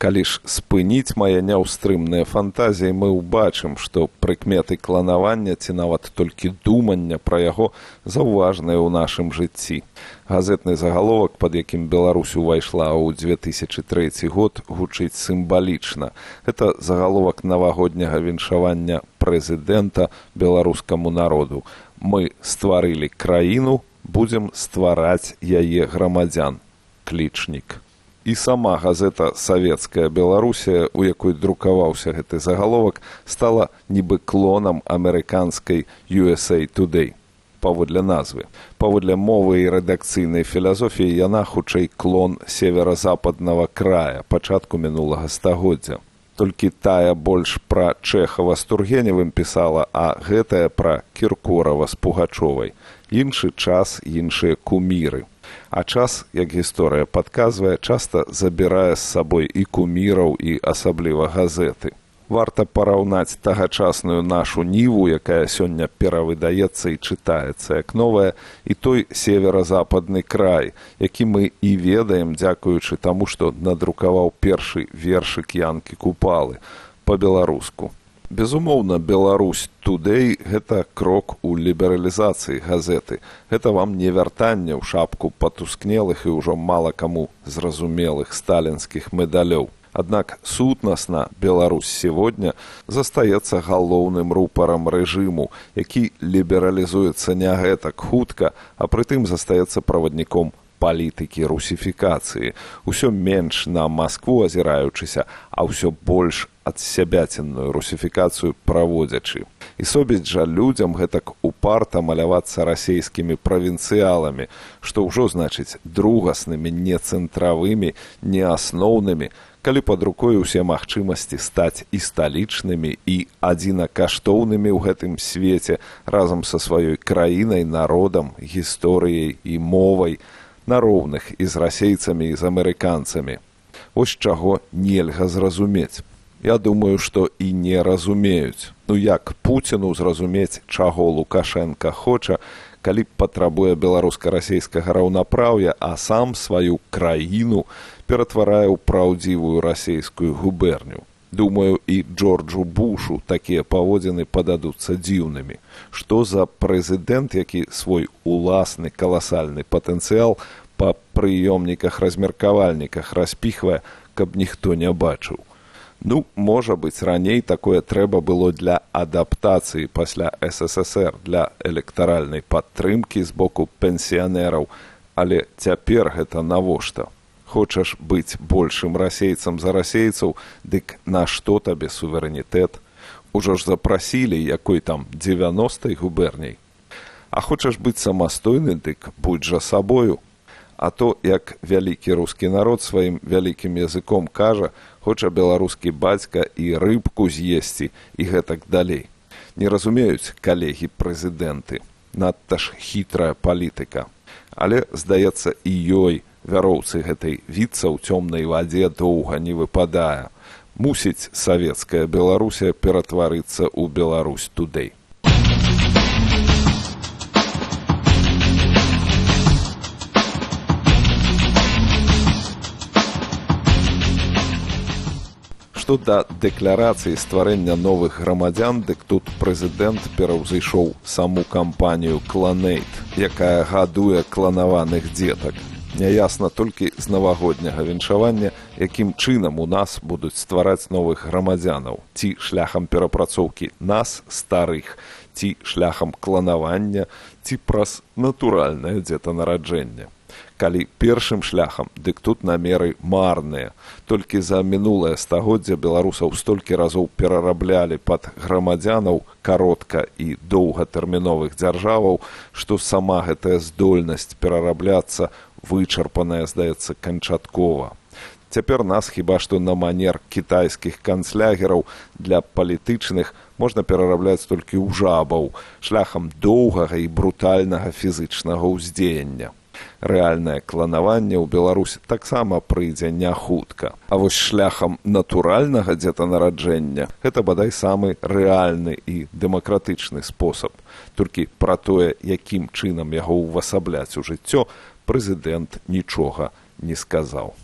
Калі ж спыніць мае няўстрымныя фантазіі, мы ўбачым, што прыкметы кланавання ці нават толькі думання пра яго заўважныя ў нашым жыцці. Газетны загаловак, пад якім Беларусь увайшла ў 2003 год, гучыць сімвалічна. Гэта загаловак навагодняга віншавання прэзідэнта беларускаму народу. Мы стварылі краіну, будзем ствараць яе грамадзян. Клічнік. І сама газета «Савецкая Беларусія», у якой друкаваўся гэты загаловак, стала нібы клонам амерыканскай USA Today. Паводле назвы. Паводле мовы і рэдакцыйнай філасофіі яна хутчэй клон северо-западнага края пачатку мінулага стагоддзя. Толькі тая больш пра Чэхава з Тургеневым пісала, а гэтая пра Кіркорава з Пугачовай. Іншы час, іншыя куміры. А час, як гісторыя падказвае, часта забірае з сабой і куміраў, і асабліва газеты. Варта параўнаць тагачасную нашу ніву, якая сёння перавыдаецца і чытаецца як новая, і той северо-западны край, які мы і ведаем, дзякуючы таму, што надрукаваў першы вершык Янкі Купалы па-беларуску. Безумоўна, Беларусь Today – гэта крок у лібералізацыі газеты. Гэта вам не вяртанне ў шапку патускнелых і ўжо мала каму зразумелых сталінскіх медалёў. Аднак сутнасна Беларусь сегодня застаецца галоўным рупарам рэжыму, які лібералізуецца не гэтак хутка, а прытым застаецца правадніком палітыкі русіфікацыі. Усё менш на Маскву азіраючыся, а ўсё больш адсябяценную русіфікацыю праводзячы. І собіць жа людзям гэтак упарта малявацца расейскімі правінцыяламі, што ўжо значыць другаснымі, не цэнтравымі, не асноўнымі, калі пад рукой усе магчымасці стаць і сталічнымі, і адзінакаштоўнымі ў гэтым свеце разам са сваёй краінай, народам, гісторыяй і мовай, на роўных і з расейцамі, і з амерыканцамі. Вось чаго нельга зразумець. Я думаю, што і не разумеюць. Ну як Пуціну зразумець, чаго Лукашенка хоча, калі патрабуе беларуска-расейскага раўнапраўя, а сам сваю краіну ператварае ў праўдзівую расейскую губерню. Думаю, і Джорджу Бушу такія паводзіны пададуцца дзіўнымі. Што за прэзідэнт, які свой уласны каласальны патэнцыял па прыёмніках-размеркавальніках распіхвае, каб ніхто не бачыў. Ну, можа быць, раней такое трэба было для адаптацыі пасля СССР, для электаральнай падтрымкі з боку пенсіянераў, але цяпер гэта навошта? Хочаш быць большым расейцам за расейцаў, дык нашто табе суверэнітэт? Ужо ж запрасілі, якой там 90-й губерняй. А хочаш быць самастойны, дык будь жа сабою. А то, як вялікі рускі народ сваім вялікім языком кажа, хоча беларускі бацька і рыбку з'есці, і гэтак далей. Не разумеюць калегі-прэзідэнты. Надта ж хітрая палітыка. Але, здаецца, і ёй вяроўцы гэтай віцца ў цёмнай вадзе доўга не выпадае. Мусіць савецкая Беларусія ператварыцца ў Беларусь Today. Што да дэкларацыі стварэння новых грамадзян, дык тут прэзідэнт пераўзышоў саму кампанію «Кланэйт», якая гадуе кланаваных дзетак. Няясна толькі з навагодняга віншавання, якім чынам у нас будуць ствараць новых грамадзянаў, ці шляхам перапрацоўкі нас, старых, ці шляхам кланавання, ці праз натуральнае дзетанараджэнне. Калі першым шляхам, дык тут намеры марныя. Толькі за мінулае стагоддзя беларусаў столькі разоў перараблялі пад грамадзянаў каротка і доўгатэрміновых дзяржаваў, што сама гэтая здольнасць перарабляцца вычарпаная, здаецца, канчаткова. Цяпер нас хіба што на манер кітайскіх канцлягераў для палітычных можна перарабляць толькі ў жабаў, шляхам доўгага і брутальнага фізычнага ўздзеяння. Рэальнае кланаванне ў Беларусі таксама прыйдзе не хутка. А вось шляхам натуральнага дзетанараджэння гэта бадай самы рэальны і дэмакратычны спосаб. Толькі пра тое, якім чынам яго ўвасабляць у жыццё, прэзідэнт нічога не сказаў.